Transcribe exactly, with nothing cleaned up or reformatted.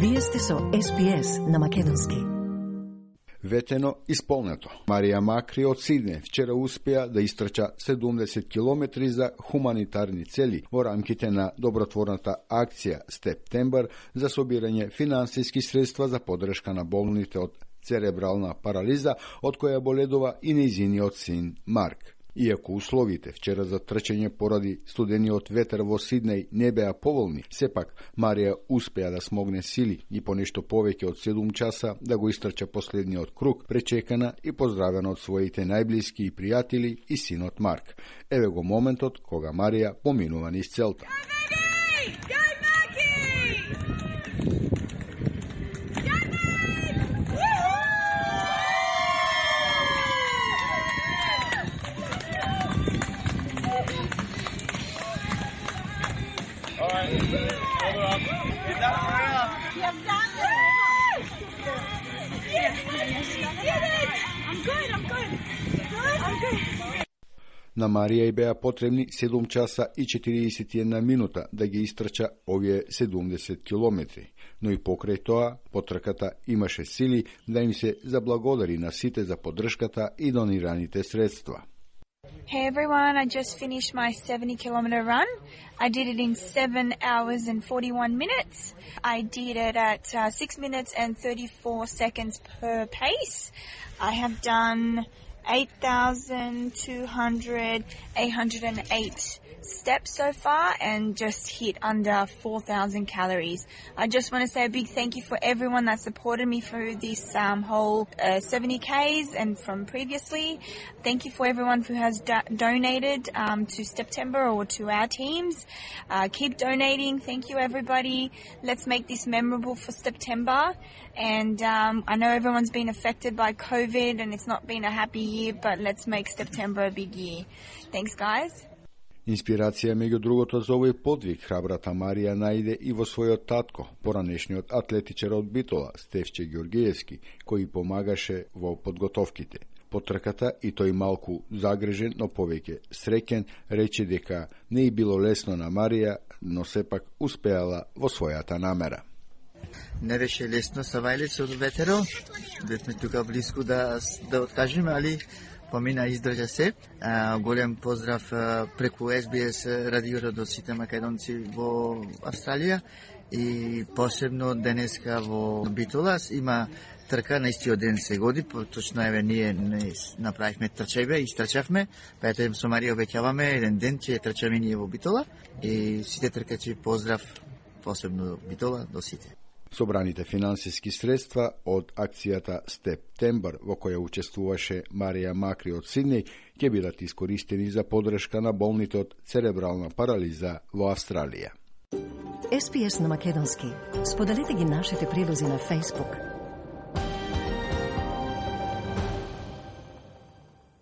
Вие сте со Ес Би Ес на македонски. Ветено исполнето. Марија Макри од Сидне вчера успеа да истрча седумдесет километри за хуманитарни цели во рамките на добротворната акција Септембар за собирање финансиски средства за поддршка на болните од церебрална парализа, од која боледува и нејзиниот син Марк. Иако условите вчера за трчање поради студениот ветер во Сиднеј не беа поволни, сепак Марија успеа да смогне сили и по нешто повеќе од седум часа да го истрча последниот круг, пречекана и поздравена од своите најблиски и пријатели и синот Марк. Еве го моментот кога Марија поминува низ целта. На Марија и беа потребни седум часа и четириесет и една минута да ги истрча овие седумдесет километри, но и покрај тоа потрката имаше сили да им се заблагодари на сите за поддршката и донираните средства. Hey everyone, I just finished my seventy kilometer run. I did it in seven hours and forty-one minutes. I did it at uh, six minutes and thirty-four seconds per pace. I have done eight thousand two hundred, eight hundred eight steps so far and just hit under four thousand calories. I just want to say a big thank you for everyone that supported me through this um, whole uh, seventy Ks and from previously. Thank you for everyone who has do- donated um, to September or to our teams. Uh, keep donating. Thank you everybody. Let's make this memorable for September. And um, I know everyone's been affected by COVID and it's not been a happy year, but let's make September a big year. Thanks guys. Инспирација меѓу другото за овој подвиг храбрата Марија најде и во својот татко, поранешниот атлетичар од Битола, Стефче Ѓоргиевски, кој помагаше во подготовките. Потрката и тој малку загрежен, но повеќе среќен, рече дека не и било лесно на Марија, но сепак успеала во својата намера. Не беше лесно са вајлица од ветеро, бевме тука близко да, да откажеме, али помина издржа се. А, голем поздрав а, преку Ес Би Ес радиото до сите македонци во Австралија и посебно денеска во Битолас има трка на истиот ден се годи, точно еве ние не направивме трчајбе, истрчавме, па ето со Марија обеќаваме еден ден ќе трчаме ние во Битола и сите тркачи поздрав посебно Битола до сите. Собраните финансиски средства од акцијата Септембар, во која учествуваше Марија Макри од Сиднеј, ќе бидат искористени за поддршка на болните од церебрална парализа во Австралија. Ес Би Ес на македонски. Споделете ги нашите прилози на Facebook.